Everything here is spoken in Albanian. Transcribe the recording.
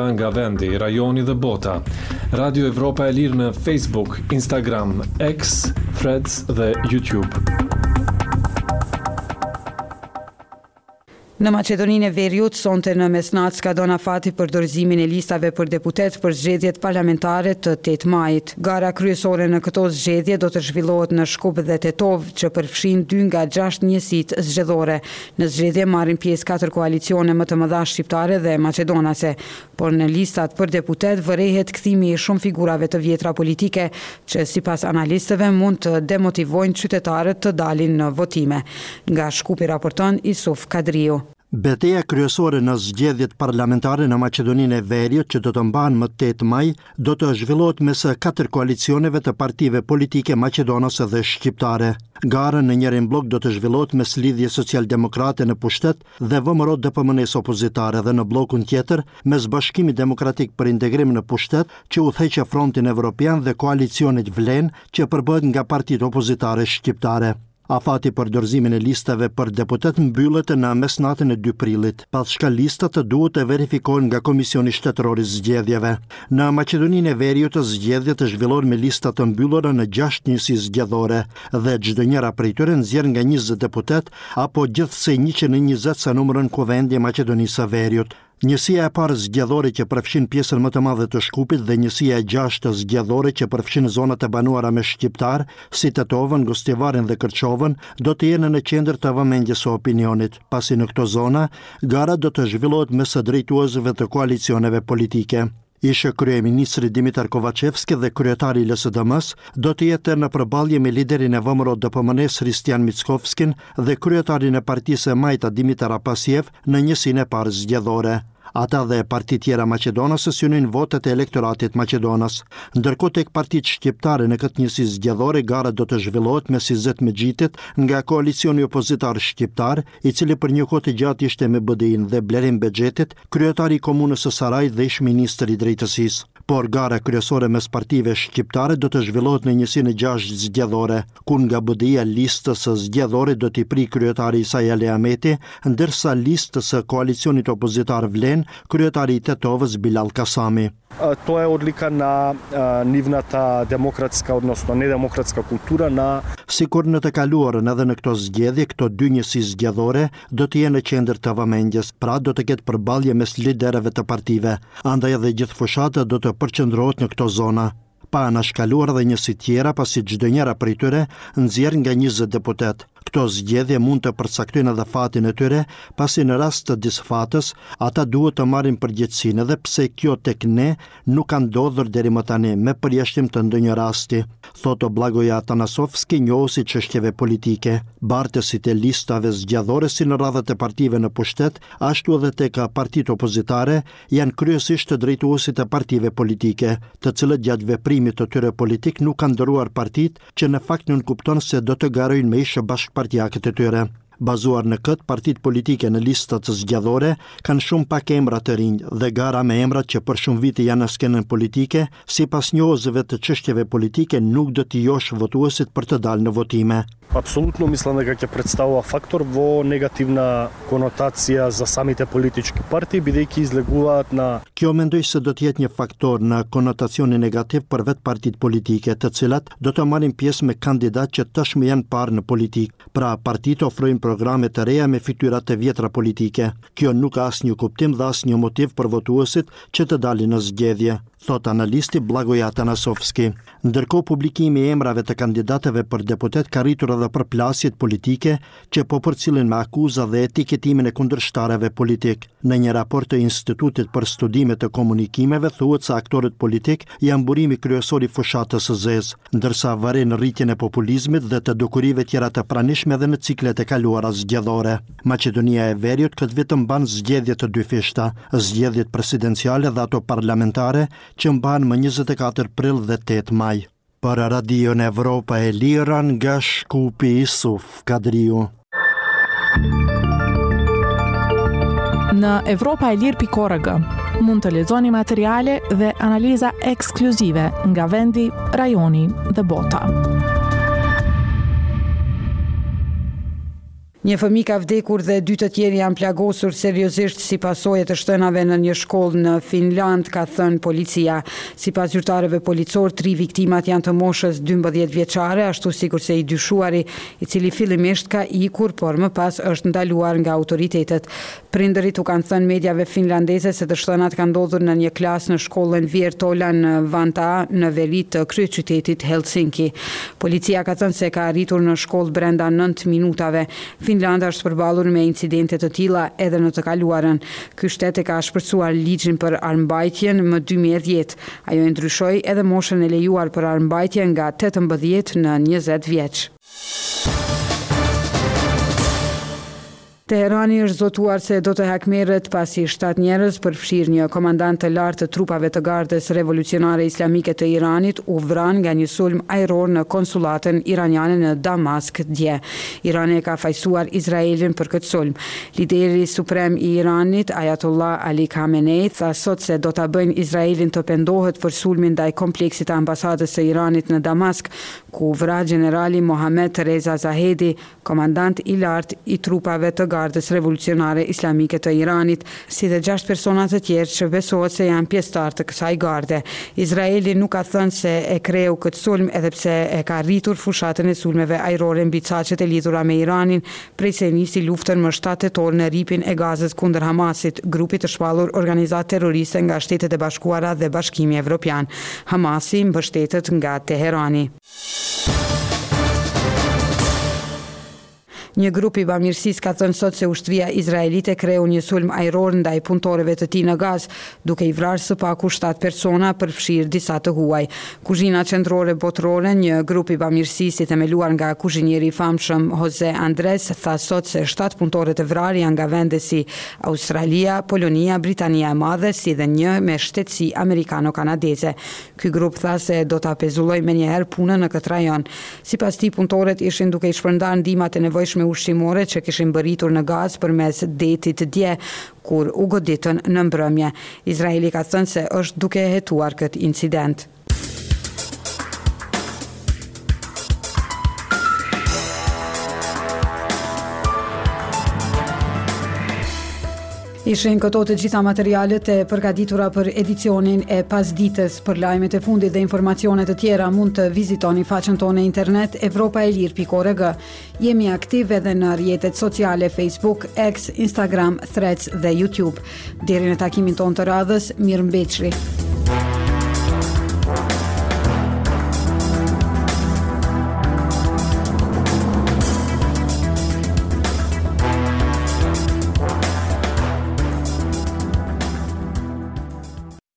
Nga vendi, rajoni dhe bota. Radio Evropa e Lirë në Facebook, Instagram, X, Threads dhe YouTube. Në Maqedoninë e Veriut, sonte në mesnatë skadon afati për dorëzimin e listave për deputetë për zgjedhjet parlamentare të 8 majit. Gara kryesore në këto zgjedhje do të zhvillohet në Shkup dhe Tetovë, që përfshin dy nga gjashtë njësitë zgjedhore. Në zgjedhje marrin pjesë katër koalicione më të mëdha shqiptare dhe maqedonase, por në listat për deputetë vërehet kthimi i shumë figurave të vjetra politike që sipas analistëve mund të demotivojnë qytetarët të dalin në votime. Nga Shkupi raporton Isuf Kadriu. Beteja kryesore në zgjedhjet parlamentare në Maqedoninë e Veriut që do të mbahen më 8 maj do të zhvillohet mes katër koalicioneve të partive politike maqedonase dhe shqiptare. Gara në njërin bllok do të zhvillohet mes Lidhjes Socialdemokrate në pushtet dhe VMRO-DPMNE-së opozitare dhe në bllokun tjetër mes Bashkimit Demokratik për Integrim në pushtet që udhëheq Frontin Evropian dhe koalicionit VLEN që përbëhet nga partitë opozitare shqiptare. Afati për dorëzimin e listave për deputetë mbyllet në mesnatën e 2 prillit, pas çka listat duhet të verifikohen nga Komisioni Shtetëror i Zgjedhjeve. Në Maqedoninë e Veriut zgjedhjet zhvillohen me lista të mbyllura në 6 njësi zgjedhore dhe çdo njëra prej tyre nxjerr nga 20 deputetë apo gjithsej 120 sa numëron Kuvendi i Maqedonisë së Veriut. Njësia e parë zgjedhore që përfshin pjesën më të madhe të Shkupit dhe njësia e gjashtë zgjedhore që përfshin zonat e banuara me shqiptarë, si Tetovën, Gostivarin dhe Kërçovën, do të jenë në qendër të vëmendjes së opinionit, pasi në këto zona gara do të zhvillohet mes drejtuesve të koalicioneve politike. Ish-kryeministri Dimitar Kovaçevski dhe kryetari i LSDM-së do të jetë në përballje me liderin e VMRO-DPMNE-së Hristijan Mickovskin dhe kryetarin e partisë E Majta Dimitar Apasiev në njësinë e parë zgjedhore. Ata dhe partitë tjera maqedonase synojnë votat e elektoratit maqedonas. Ndërkohë tek partitë shqiptare në këtë njësi zgjedhore gara do të zhvillohet mes Izet Mexhitit nga koalicioni opozitar shqiptar, i cili për një kohë të gjatë ishte me BDI-në dhe Blerim Bexhetit, kryetari i Komunës së Sarajit dhe ish-ministër i Drejtësisë. Por gara kryesore mes partive shqiptare do të zhvillohet në njësinë e gjashtë zgjedhore, ku nga BDI-ja listës zgjedhore do t'i prijë kryetari i saj Ali Ahmeti, ndërsa listës së koalicionit opozitar Vlen, kryetari i Tetovës Bilall Kasami. Тоа е одлика на нивната демократска, односно недемократска култура на Sikur në të kaluarën edhe në këto zgjedhje, këto dy njësi zgjedhore do të jenë në qendër të vëmendjes, pra do të ketë përballje mes liderëve të partive. Andaj edhe gjithë fushata do të përqendrohet në këto zona. Pa anashkaluar edhe njësi tjera, pasi çdo njëra prej tyre nxjerr nga 20 deputetë. Këto zgjedhje mund të përcaktojnë edhe fatin e tyre, pasi në rast të disfatës, ata duhet të marrin përgjegjësinë edhe pse kjo tek ne nuk ka ndodhur deri më tani, me përjashtim të ndonjë rasti, thotë Blagoja Atanasovski, njohës i çështjeve politike. Bartësit e listave zgjedhore si në radhët e partive në pushtet, ashtu edhe tek partitë opozitare, janë kryesisht drejtuesit e partive politike, të cilët gjatë veprimit të tyre politik nuk kanë ndërruar partitë, që në fakt nënkupton se do të garojnë me ish bashkëpartiakët e tyre. Bazuar në këtë, partitë politike në listat zgjedhore kanë shumë pak emra të rinj dhe gara me emrat që për shumë vite janë në skenën politike, sipas njohësve të çështjeve politike nuk do t'i joshë votuesit për të dalë në votime. Апсолутно мислам дека ќе представува фактор во негативна конотација за самите политички партии, бидејќи излегуваат на Kjo mendoj se do të jetë një faktor në konotacionin negativ për vetë partitë politike, të cilat do të marrin pjesë me kandidatë që tashmë janë parë në politikë. Pra, partitë ofrojnë programe të reja me fytyra të vjetra politike. Kjo nuk ka asnjë kuptim dhe asnjë motiv për votuesit që të dalin në zgjedhje, thotë analisti Blagoja Atanasovski. Ndërkohë, publikimi i emrave të kandidatëve për deputet ka rritur edhe përplasjet politike që po përcillen me akuza dhe etiketimin e kundërshtarëve politikë. Në një raport të Institutit për Studime të Komunikimeve thuhet se aktorët politikë janë burimi kryesor i fushatës së zezë, ndërsa vëren rritjen e populizmit dhe të dukurive tjera të pranishme edhe në ciklet e kaluara zgjedhore. Maqedonia e Veriut këtë vit mban zgjedhje të dyfishta, zgjedhjet presidenciale dhe ato parlamentare, që mbahen më 24 prill dhe 8 maj. Për Radion Evropa e Lirë nga Shkupi Isuf Kadriu. Në evropaelire.org mund të lexoni materiale dhe analiza ekskluzive nga vendi, rajoni dhe bota. Një fëmijë ka vdekur dhe dy të tjerë janë plagosur seriozisht si pasojë e të shtënave në një shkollë në Finlandë, ka thënë policia. Sipas zyrtarëve policorë, tri viktimat janë të moshës 12 vjeçare, ashtu sikurse i dyshuari, i cili fillimisht ka ikur, por më pas është ndaluar nga autoritetet. Prindërit u kanë thënë mediave finlandeze se të shtënat kanë ndodhur në një klasë në shkollën Viertola në Vantaa, në veri të kryeqytetit Helsinki. Policia ka thënë se ka arritur në shkollë brenda nëntë minutave. Finlanda është përballur me incidente të tilla edhe në të kaluarën. Ky shtet e ka ashpërsuar ligjin për armëmbajtjen më 2010. Ajo e ndryshoi edhe moshën e lejuar për armëmbajtje nga 18 në 20 vjeç. Teherani është zotuar se do të hakmerret pasi shtatë njerëz, përfshirë një komandant të lartë të trupave të Gardës Revolucionare Islamike të Iranit, u vranë nga një sulm ajror në konsullatën iraniane në Damask dje. Irani e ka fajësuar Izraelin për këtë sulm. Lideri suprem i Iranit, Ayatollah Ali Khamenei, tha sot se do ta bëjnë Izraelin të pendohet për sulmin ndaj kompleksit të ambasadës së Iranit në Damask, ku u vra gjenerali Mohammed Reza Zahedi, komandant i lartë i trupave të Gardës Revolucionare Islamike të Iranit, si dhe gjashtë persona të tjerë që besohet se janë pjesëtarë të kësaj garde. Izraeli nuk ka thënë se e kreu këtë sulm edhe pse e ka rritur fushatën e sulmeve ajrore mbi caqet e lidhura me Iranin prej se nisi luftën më shtatë tetor në Rripin e Gazës kundër Hamasit, grupit të shpallur organizatë terroriste nga Shtetet e Bashkuara dhe Bashkimi Evropian. Hamasi mbështetet nga Teherani. Një grup i bamirësisë ka thënë sot se ushtria izraelite kreu një sulm ajror ndaj punëtorëve të tij në Gazë, duke i vrarë së paku shtatë persona, përfshirë disa të huaj. Kuzhina Qendrore Botërore, një grup i bamirësisë i themeluar nga kuzhinieri i famshëm Jose Andres, tha sot se shtatë punëtorët e vrarë janë nga vende si Australia, Polonia, Britania e Madhe, si dhe një me shtetësi amerikano-kanadeze. Ky grup tha se do ta pezullojë menjëherë punën në këtë rajon. Sipas tij, punëtorët ishin duke i shpërndarë ndihmat e nevojshme ushqimore që kishin mbërritur në Gazë përmes detit dje, kur u goditën në mbrëmje. Izraeli ka thënë se është duke e hetuar këtë incident. Ishin këto të gjitha materialet e përgatitura për edicionin e pasdites. Për lajmet e fundit dhe informacione të tjera mund të vizitoni faqen tonë në internet evropaelire.org. Jemi aktiv edhe në rrjetet sociale Facebook, X, Instagram, Threads dhe YouTube. Deri në takimin tonë të radhës, mirëmbetshi.